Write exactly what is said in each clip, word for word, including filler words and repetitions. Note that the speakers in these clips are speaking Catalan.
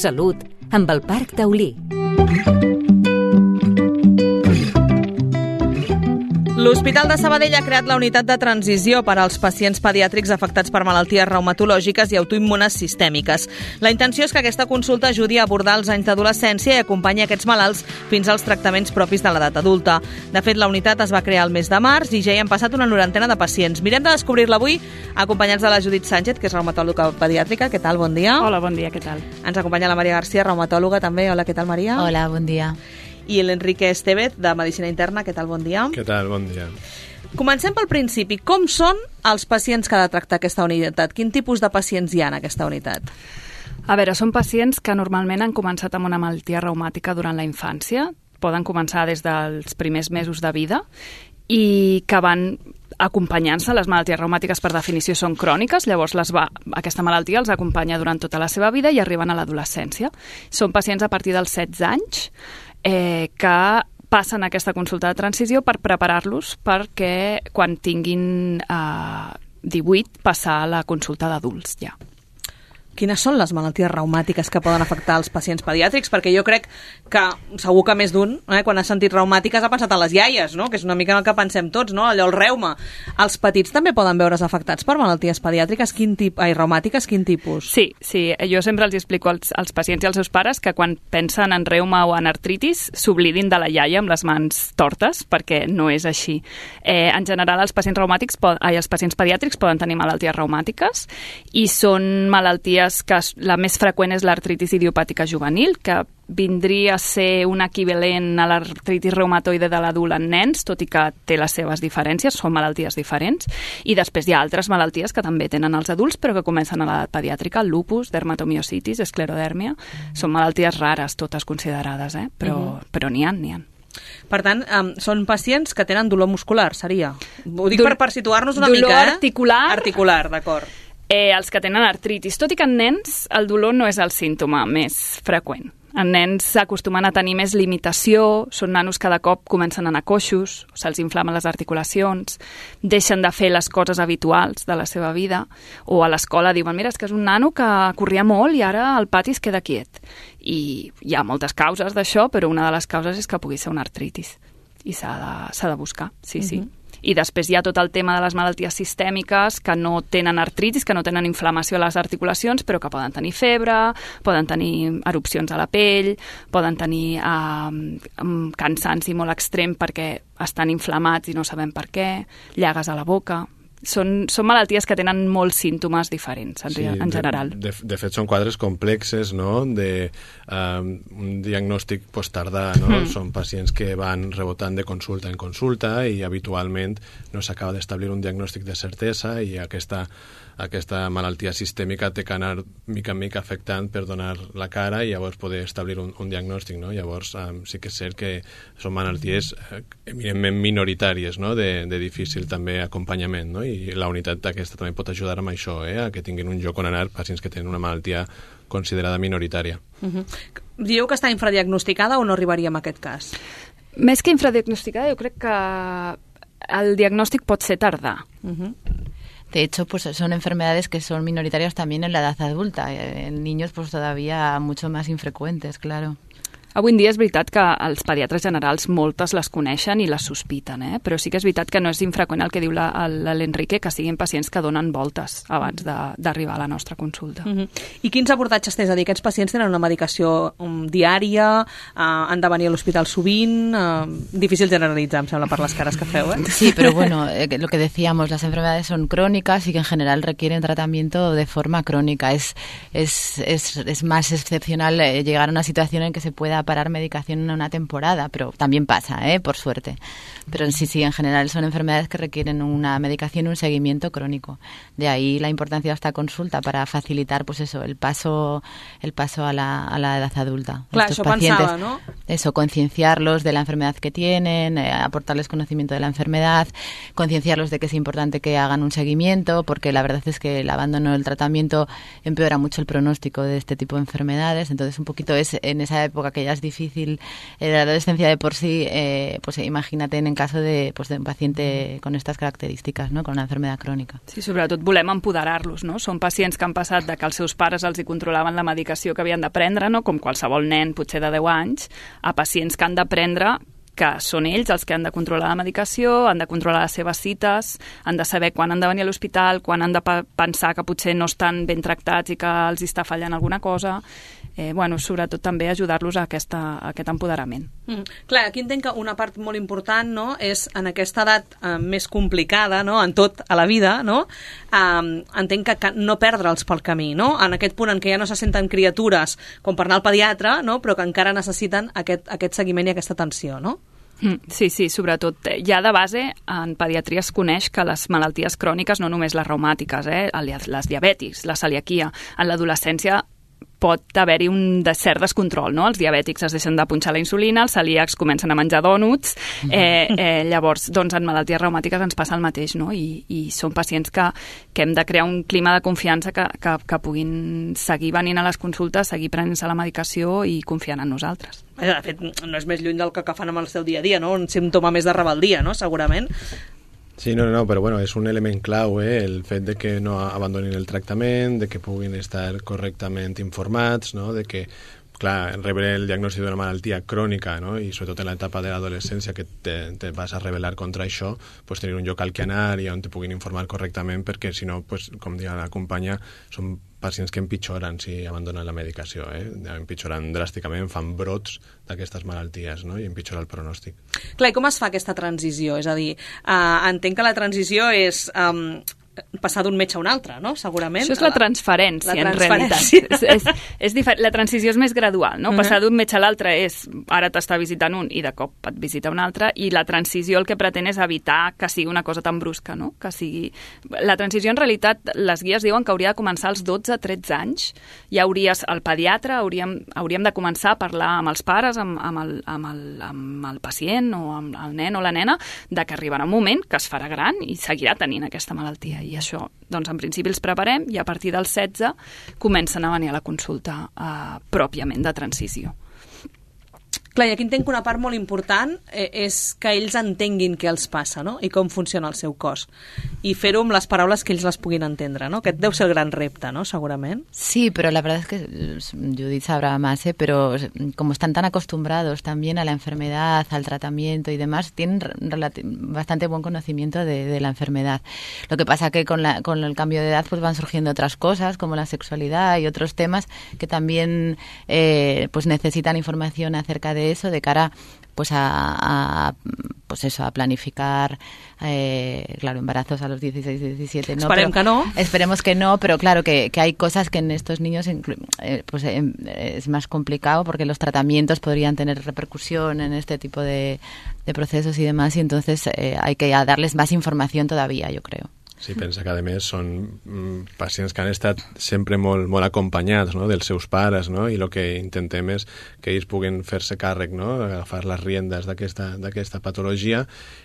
Salut, amb el Parc Taulí. L'Hospital de Sabadell ha creat la unitat de transició per als pacients pediàtrics afectats per malalties reumatològiques i autoimmunes sistèmiques. La intenció és que aquesta consulta ajudi a abordar els anys d'adolescència i acompanyi aquests malalts fins als tractaments propis de l'edat adulta. De fet, la unitat es va crear el mes de març i ja hi han passat una norantena de pacients. Mirem de descobrir-la avui acompanyats de la Judit Sánchez, que és reumatòloga pediàtrica. Què tal? Bon dia. Hola, bon dia, què tal? Ens acompanya la Maria García, reumatòloga també. Hola, què tal, Maria? Hola, bon dia. I l'Enrique Estevez, de Medicina Interna. Què tal? Bon dia. Què tal? Bon dia. Comencem pel principi. Com són els pacients que ha de tractar aquesta unitat? Quin tipus de pacients hi ha en aquesta unitat? A veure, són pacients que normalment han començat amb una malaltia reumàtica durant la infància. Poden començar des dels primers mesos de vida i que van acompanyant-se. Les malalties reumàtiques, per definició, són cròniques, llavors les va, aquesta malaltia els acompanya durant tota la seva vida i arriben a l'adolescència. Són pacients a partir dels setze anys eh, que passen aquesta consulta de transició per preparar-los perquè quan tinguin eh, divuit passar a la consulta d'adults ja. Quines són les malalties reumàtiques que poden afectar els pacients pediàtrics? Perquè jo crec que segur que més d'un, eh, quan ha sentit reumàtiques ha pensat a les iaies, no? Que és una mica el que pensem tots, no? Allò, el reuma. Els petits també poden veure's afectats per malalties pediàtriques? Quin tip... Ai, reumàtiques, quin tipus? Sí, sí. Jo sempre els explico als, als pacients i als seus pares que quan pensen en reuma o en artritis s'oblidin de la iaia amb les mans tortes, perquè no és així. Eh, en general, els pacients reumàtics, ai, els pacients pediàtrics poden tenir malalties reumàtiques i són malalties que la més freqüent és l'artritis idiopàtica juvenil, que vindria a ser un equivalent a l'artritis reumatoide de l'adult en nens, tot i que té les seves diferències, són malalties diferents. I després hi ha altres malalties que també tenen els adults, però que comencen a l'edat pediàtrica, el lupus, dermatomiositis, esclerodèrmia. Són malalties rares, totes considerades, eh? però, uh-huh. però n'hi ha, n'hi ha. Per tant, um, són pacients que tenen dolor muscular, seria? Ho dic per, per situar-nos una dolor mica, eh? Dolor articular. Articular, d'acord. Eh, els que tenen artritis, tot i que en nens el dolor no és el símptoma més freqüent. En nens s'acostumen a tenir més limitació, són nanos que de cop comencen a anar coixos, se'ls inflamen les articulacions, deixen de fer les coses habituals de la seva vida, o a l'escola diuen, mira, és que és un nano que corria molt i ara al pati es queda quiet. I hi ha moltes causes d'això, però una de les causes és que pugui ser una artritis. I s'ha de, s'ha de buscar, sí, uh-huh. sí. I després hi ha tot el tema de les malalties sistèmiques que no tenen artritis, que no tenen inflamació a les articulacions, però que poden tenir febre, poden tenir erupcions a la pell, poden tenir eh, cansanci molt extrem perquè estan inflamats i no sabem per què, llagues a la boca... Són, són malalties que tenen molts símptomes diferents, en, sí, en general. De, de, de fet, són quadres complexes, no?, de um, un diagnòstic posttardà, no? Mm. Són pacients que van rebotant de consulta en consulta i habitualment no s'acaba d'establir un diagnòstic de certesa i aquesta, aquesta malaltia sistèmica té que anar mica en mica afectant per donar la cara i llavors poder establir un, un diagnòstic, no? Llavors um, sí que és cert que són malalties eh, eminentment minoritàries, no?, de, de difícil també acompanyament, no? I la unitat aquesta també pot ajudar amb això, eh? A que tinguin un lloc on anar pacients que tenen una malaltia considerada minoritària. Uh-huh. Dieu que està infradiagnosticada o no arribaríem a aquest cas? Més que infradiagnosticada, jo crec que el diagnòstic pot ser tardà. Uh-huh. De hecho, pues son enfermedades que son minoritarias también en la edad adulta. En niños, pues todavía mucho más infrecuentes, claro. Avui en dia és veritat que els pediatres generals moltes les coneixen i les sospiten, eh? Però sí que és veritat que no és infreqüent el que diu la, l'Enrique, que siguin pacients que donen voltes abans de, d'arribar a la nostra consulta. Uh-huh. I quins abordatges tens? És a dir, aquests pacients tenen una medicació um, diària, uh, han de venir a l'hospital sovint, uh, difícil generalitzar, em sembla, per les cares que feu, eh? Sí, pero bueno, eh, lo que decíamos, las enfermedades son crónicas y que en general requieren tratamiento de forma crónica. Es, es, es, es más excepcional eh, llegar a una situación en que se pueda parar medicación en una temporada, pero también pasa, ¿eh? Por suerte. Pero sí, sí, en general son enfermedades que requieren una medicación y un seguimiento crónico. De ahí la importancia de esta consulta para facilitar, pues eso, el paso, el paso a la, a la edad adulta. Claro, eso pensaba, ¿no? Eso, concienciarlos de la enfermedad que tienen, eh, aportarles conocimiento de la enfermedad, concienciarlos de que es importante que hagan un seguimiento, porque la verdad es que el abandono del tratamiento empeora mucho el pronóstico de este tipo de enfermedades. Entonces, un poquito es en esa época que ya ya es difícil eh, la adolescencia de por sí, eh, pues imagínate en el caso de, pues, de un paciente con estas características, ¿no? Con una enfermedad crònica. Sí, sobretot volem empoderar-los, no? Són pacients que han passat de que els seus pares els hi controlaven la medicació que havien de prendre, no? Com qualsevol nen, potser de deu anys, a pacients que han de prendre que són ells els que han de controlar la medicació, han de controlar les seves cites, han de saber quan han de venir a l'hospital, quan han de pensar que potser no estan ben tractats i que els està fallant alguna cosa. Eh, bueno, sobretot també ajudar-los a, aquesta, a aquest empoderament. Mm. Clar, aquí entenc que una part molt important, no, és en aquesta edat eh, més complicada, no, en tot a la vida, no, eh, entenc que, que no perdre'ls pel camí, no? En aquest punt en què ja no se senten criatures com per anar al pediatre, no, però que encara necessiten aquest, aquest seguiment i aquesta atenció, no? Sí, sí, sobretot. Ja de base, en pediatria es coneix que les malalties cròniques, no només les reumàtiques, eh, les diabètics, la celiaquia, en l'adolescència pot haver-hi un de cert descontrol, no? Els diabètics es deixen de punxar la insulina, els celíacs comencen a menjar dònuts, eh, eh, llavors, doncs, en malalties reumàtiques ens passa el mateix, no? I, i són pacients que, que hem de crear un clima de confiança que, que, que puguin seguir venint a les consultes, seguir prenent-se la medicació i confiant en nosaltres. De fet, no és més lluny del que, que fan amb el seu dia a dia, no? Un símptoma més de rebeldia, no? Segurament. Sí, no, no, però bueno, és un element clau, eh? El fet de que no abandonin el tractament, de que puguin estar correctament informats, no? De que, clar, rebre el diagnòstic d'una malaltia crònica, no? I sobretot en l'etapa de l'adolescència que te, te vas a rebel·lar contra això, pues tenir un lloc al que anar i on te puguin informar correctament, perquè si no, pues, com deia la companya, són pacients que empitjoren si abandonen la medicació, eh? Empitjoren dràsticament, fan brots d'aquestes malalties, no? I empitjora el pronòstic. Clar, i com es fa aquesta transició? És a dir, eh, entenc que la transició és eh, passar d'un metge a un altre, no? Segurament. Això és la transferència, la en transferència. realitat. És, és, és diferent. La transició és més gradual, no? Uh -huh. Passar d'un metge a l'altre és, ara t'està visitant un i de cop et visita un altre, i la transició el que pretén és evitar que sigui una cosa tan brusca, no? Que sigui... La transició, en realitat, les guies diuen que hauria de començar als dotze a tretze anys. Ja hauries, el pediatre, hauríem, hauríem de començar a parlar amb els pares, amb, amb, el, amb, el, amb el pacient o amb el nen o la nena, de que arribarà un moment que es farà gran i seguirà tenint aquesta malaltia. I això, doncs, en principi els preparem i a partir dels setze comencen a venir a la consulta eh, pròpiament de transició. Clar, i aquí entenc que una part molt important eh, és que ells entenguin què els passa, no? I com funciona el seu cos. I fer-ho amb les paraules que ells les puguin entendre, ¿no? Aquest deu ser el gran repte, ¿no? Segurament. Sí, pero la verdad es que Judith sabrá más, ¿eh? Pero como están tan acostumbrados también a la enfermedad, al tratamiento y demás, tienen bastante buen conocimiento de, de la enfermedad. Lo que pasa que con, la, con el cambio de edad pues van surgiendo otras cosas, como la sexualidad y otros temas que también eh, pues necesitan información acerca de eso de cara pues a, a pues eso a planificar eh, claro embarazos a los dieciséis, diecisiete no, esperemos que no esperemos que no pero claro que, que hay cosas que en estos niños eh, pues eh, es más complicado porque los tratamientos podrían tener repercusión en este tipo de, de procesos y demás y entonces eh, hay que darles más información todavía, yo creo. Sí, pensa que, a més, són mm, pacients que han estat sempre molt, molt acompanyats, no?, dels seus pares, no?, i el que intentem és que ells puguin fer-se càrrec, no?, agafar les riendes d'aquesta d'aquesta patologia,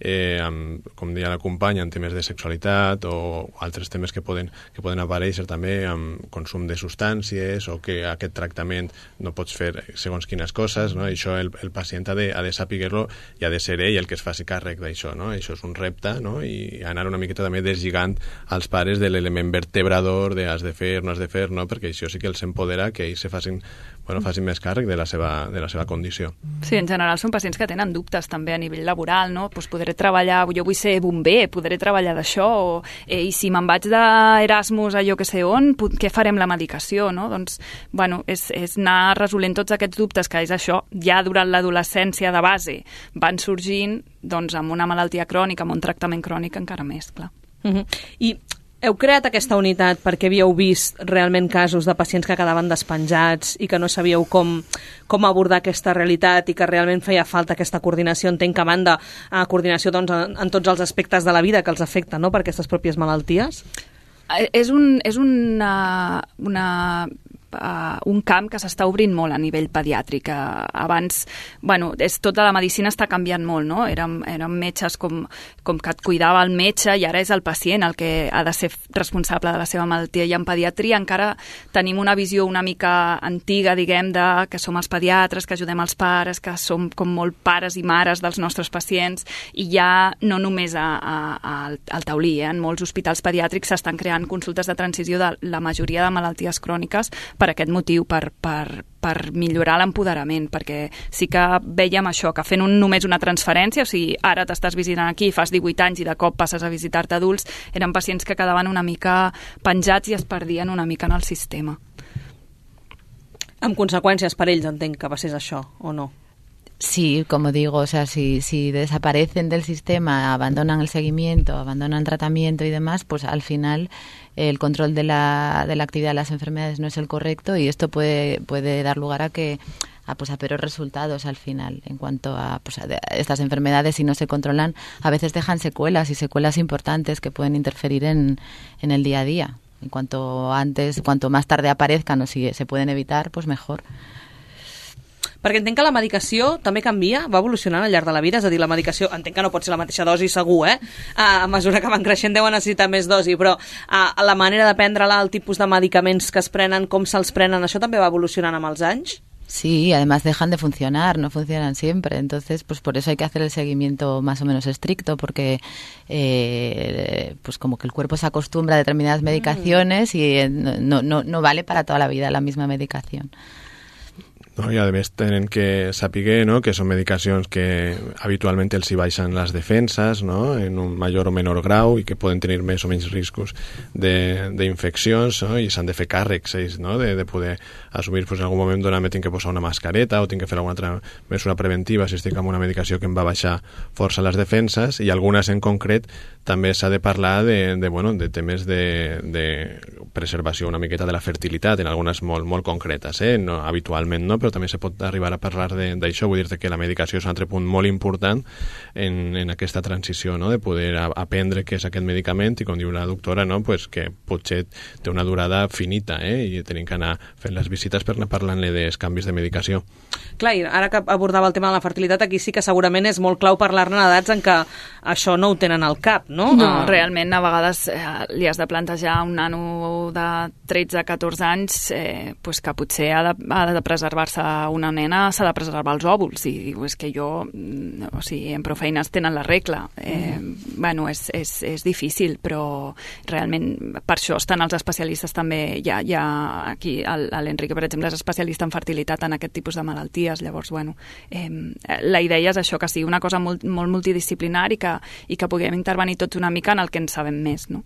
eh, amb, com deia la companya, en temes de sexualitat o altres temes que poden, que poden aparèixer també amb consum de substàncies o que aquest tractament no pots fer segons quines coses, no?, i això el, el pacient ha de, ha de saber-lo i ha de ser ell el que es faci càrrec d'això, no?, això és un repte, no?, i anar una miqueta també deslligant als pares de l'element vertebrador de has de fer, no has de fer, no? Perquè això sí que els empodera que ells se facin, bueno, facin més càrrec de la seva, de la seva condició. Sí, en general són pacients que tenen dubtes també a nivell laboral, no? Pues podré treballar, jo vull ser bomber, podré treballar d'això, o, eh, i si me'n vaig d'Erasmus a jo que sé on, què farem la medicació, no? Doncs, bueno, és, és anar resolent tots aquests dubtes que és això, ja durant l'adolescència de base van sorgint, doncs amb una malaltia crònica, amb un tractament crònic encara més, clar. Uh-huh. I heu creat aquesta unitat perquè havíeu vist realment casos de pacients que quedaven despenjats i que no sabíeu com, com abordar aquesta realitat i que realment feia falta aquesta coordinació, entenc que a banda a coordinació doncs, en, en tots els aspectes de la vida que els afecten, no?, per aquestes pròpies malalties? És, un, és una, una uh, un camp que s'està obrint molt a nivell pediàtric. Uh, abans, bueno, és, tota la medicina està canviant molt, no? Érem, érem metges com, com que et cuidava el metge i ara és el pacient el que ha de ser responsable de la seva malaltia. I en pediatria encara tenim una visió una mica antiga, diguem, de que som els pediatres, que ajudem els pares, que som com molt pares i mares dels nostres pacients, i ja no només a, a, a, al Taulí, eh? En molts hospitals pediàtrics s'estan creant consultes de transició de la majoria de malalties cròniques per aquest motiu, per, per, per millorar l'empoderament, perquè sí que vèiem això, que fent un, només una transferència, o sigui, ara t'estàs visitant aquí, fas divuit anys i de cop passes a visitar-te adults, eren pacients que quedaven una mica penjats i es perdien una mica en el sistema. Amb conseqüències per ells, entenc que passés això, o no? Sí, como digo, o sea, si, si desaparecen del sistema, abandonan el seguimiento, abandonan el tratamiento y demás, pues al final el control de la, de la actividad de las enfermedades no es el correcto y esto puede, puede dar lugar a que a, pues a peores resultados al final en cuanto a, pues a estas enfermedades, si no se controlan, a veces dejan secuelas y secuelas importantes que pueden interferir en, en el día a día. En cuanto antes, cuanto más tarde aparezcan o si se pueden evitar, pues mejor. Perquè entenc que la medicació també canvia, va evolucionant al llarg de la vida, és a dir, la medicació, entenc que no pot ser la mateixa dosi segur, eh? A mesura que van creixent deuen necessitar més dosi, però a la manera de prendre-la, el tipus de medicaments que es prenen, com se'ls prenen, això també va evolucionant amb els anys? Sí, además dejan de funcionar, no funcionan siempre, entonces pues por eso hay que hacer el seguimiento más o menos estricto, porque eh, pues como que el cuerpo se acostumbra a determinadas medicaciones mm. y no, no, no vale para toda la vida la misma medicación. No, i a més tenen que saber, no?, que són medicacions que habitualment els hi baixen les defenses, no?, en un major o menor grau i que poden tenir més o menys riscos d'infeccions, no?, i s'han de fer càrrecs ells, no?, de, de poder assumir, pues, en algun moment donat me tinc que posar una mascareta o tinc que fer alguna altra mesura preventiva si estic amb una medicació que em va baixar força les defenses, i algunes en concret també s'ha de parlar de, de, bueno, de temes de, de preservació una miqueta de la fertilitat, en algunes molt, molt concretes, eh? No, habitualment no, però també se pot arribar a parlar d'això. Vull dir-te que la medicació és un altre punt molt important en, en aquesta transició, no?, de poder a, aprendre què és aquest medicament i, com diu la doctora, no?, pues que potser té una durada finita, eh? I tenim que anar fent les visites per anar parlant-li dels canvis de medicació. Clar, i ara que abordava el tema de la fertilitat, aquí sí que segurament és molt clau parlar-ne en edats en què això no ho tenen al cap, no? No, uh... realment a vegades eh, li has de plantejar a un nano de tretze a catorze anys eh, pues que potser ha de, ha de preservar-se una nena, s'ha de preservar els òvuls, i diu, és que jo, o sigui, en prou feines tenen la regla. Eh, mm. Bueno, és, és, és difícil, però realment per això estan els especialistes també, ja, ja aquí l'Enrique, per exemple, és especialista en fertilitat en aquest tipus de malalties, llavors, bueno, eh, la idea és això, que sigui una cosa molt, molt multidisciplinar i que, i que puguem intervenir tots una mica en el que en sabem més, no?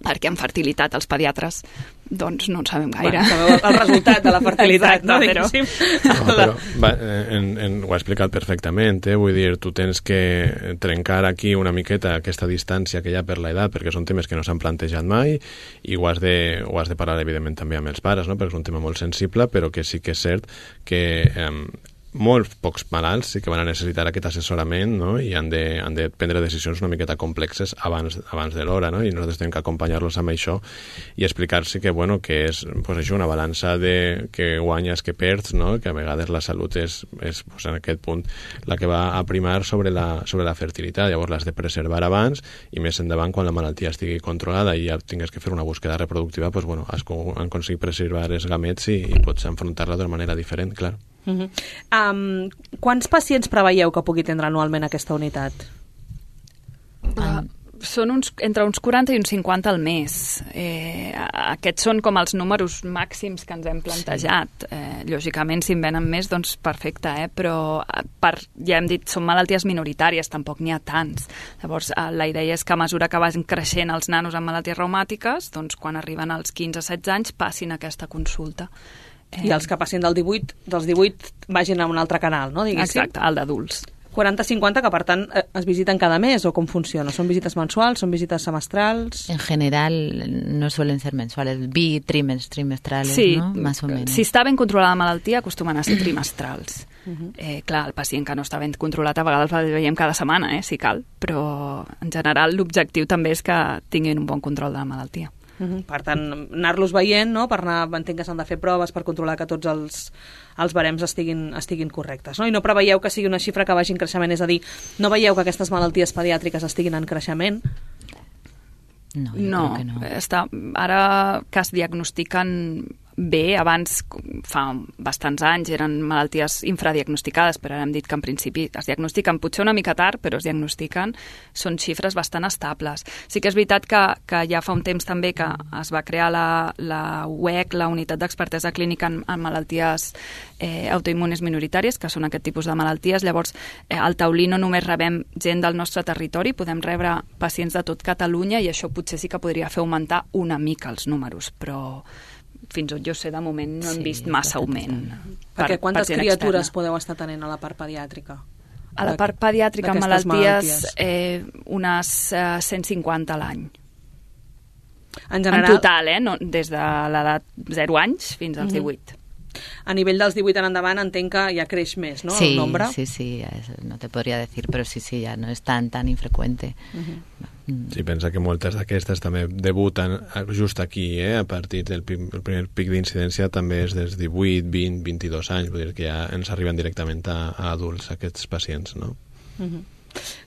Perquè en fertilitat els pediatres doncs no en sabem gaire. Bueno, sabeu el resultat de la fertilitat. Exacte, no, però... no, però va, en, en, ho ha explicat perfectament, eh? Vull dir, tu tens que trencar aquí una miqueta aquesta distància que hi ha per l'edat, perquè són temes que no s'han plantejat mai, i ho has, de, ho has de parlar evidentment també amb els pares, no?, perquè és un tema molt sensible, però que sí que és cert que eh, molts pocs malalts sí que van a necessitar aquest assessorament, no?, i han de, han de prendre decisions una miqueta complexes abans, abans de l'hora, no?, i nosaltres tenim que acompanyar-los amb això i explicar-se que, bueno, que és pues, això, una balança de que guanyes, que perds, no?, que a vegades la salut és, és pues, en aquest punt la que va a primar sobre la, sobre la fertilitat. Llavors l'has de preservar abans, i més endavant quan la malaltia estigui controlada i ja tingues que fer una búsqueda reproductiva, pues, bueno, has aconseguit preservar els gamets i, i pots enfrontar-la d'una manera diferent, clar. Uh-huh. Um, quants pacients preveieu que pugui tindre anualment aquesta unitat? Uh, són uns, entre uns quaranta i uns cinquanta al mes. Eh, aquests són com els números màxims que ens hem plantejat. Eh, lògicament, si en venen més, doncs perfecte, eh? Però per, ja hem dit, són malalties minoritàries, tampoc n'hi ha tants. Llavors, eh, la idea és que a mesura que vagin creixent els nanos amb malalties reumàtiques, doncs quan arriben als quinze a setze anys passin aquesta consulta. I els que passin del divuit, dels divuit vagin a un altre canal, no, diguéssim? Exacte, el d'adults. quaranta a cinquanta, que per tant es visiten cada mes, o com funciona? ¿Son visites mensuals, son visites semestrals? En general no suelen ser mensuales, bitrimestrales, sí, ¿no? Más o menos. Si està ben controlada la malaltia, acostumen a ser trimestrals. Uh-huh. eh, clar, el pacient que no està ben controlat a vegades el veiem cada setmana, eh, si cal, però en general l'objectiu també és que tinguin un bon control de la malaltia. Uh-huh. Per tant, anar-los veient, no? Per anar, entenc que s'han de fer proves per controlar que tots els, els barems estiguin, estiguin correctes, no? I no preveieu que sigui una xifra que vagi en creixement, és a dir, no veieu que aquestes malalties pediàtriques estiguin en creixement? No, jo No, crec que no. està, ara que es diagnostiquen bé, abans, fa bastants anys, eren malalties infradiagnosticades, però ara hem dit que en principi es diagnostiquen potser una mica tard, però es diagnostiquen, són xifres bastant estables. Sí que és veritat que, que ja fa un temps també que es va crear la, la U E C, la Unitat d'Expertesa Clínica en, en Malalties eh, Autoimmunes Minoritàries, que són aquest tipus de malalties. Llavors, eh, al taulí no només rebem gent del nostre territori, podem rebre pacients de tot Catalunya i això potser sí que podria fer augmentar una mica els números, però fins on jo sé, de moment no hem Sí, vist massa augment. Perquè per- quantes per gent criatures externa. podeu estar tenint a la part pediàtrica? A la part pediàtrica amb d'aquestes malalties, malalties? eh, unes eh, cent cinquanta a l'any. En En general, total, eh? No, des de l'edat zero anys fins als Mhm. divuit. a nivell dels divuit en endavant, entenc que ja creix més, no?, sí, el nombre. sí, sí, es- no te podría decir, pero sí, sí, ya no es tan, tan infrecuente. Mm. Sí, pensa que moltes d'aquestes també debuten just aquí, eh? A partir del pi- el primer pic d'incidència també és dels divuit, vint, vint-i-dos anys, vull dir que ja ens arriben directament a, a adults aquests pacients, no?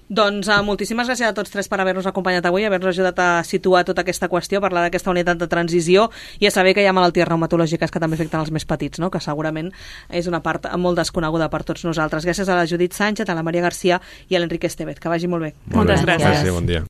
Doncs uh, moltíssimes gràcies a tots tres per haver-nos acompanyat avui, haver-nos ajudat a situar tota aquesta qüestió, parlar d'aquesta unitat de transició i a saber que hi ha malalties reumatològiques que també afecten els més petits, no?, que segurament és una part molt desconeguda per tots nosaltres. Gràcies a la Judit Sánchez, a la Maria Garcia i a l'Enrique Estevez. Que vagi molt bé. Molt Moltes bé. gràcies. Gràcies, bon dia.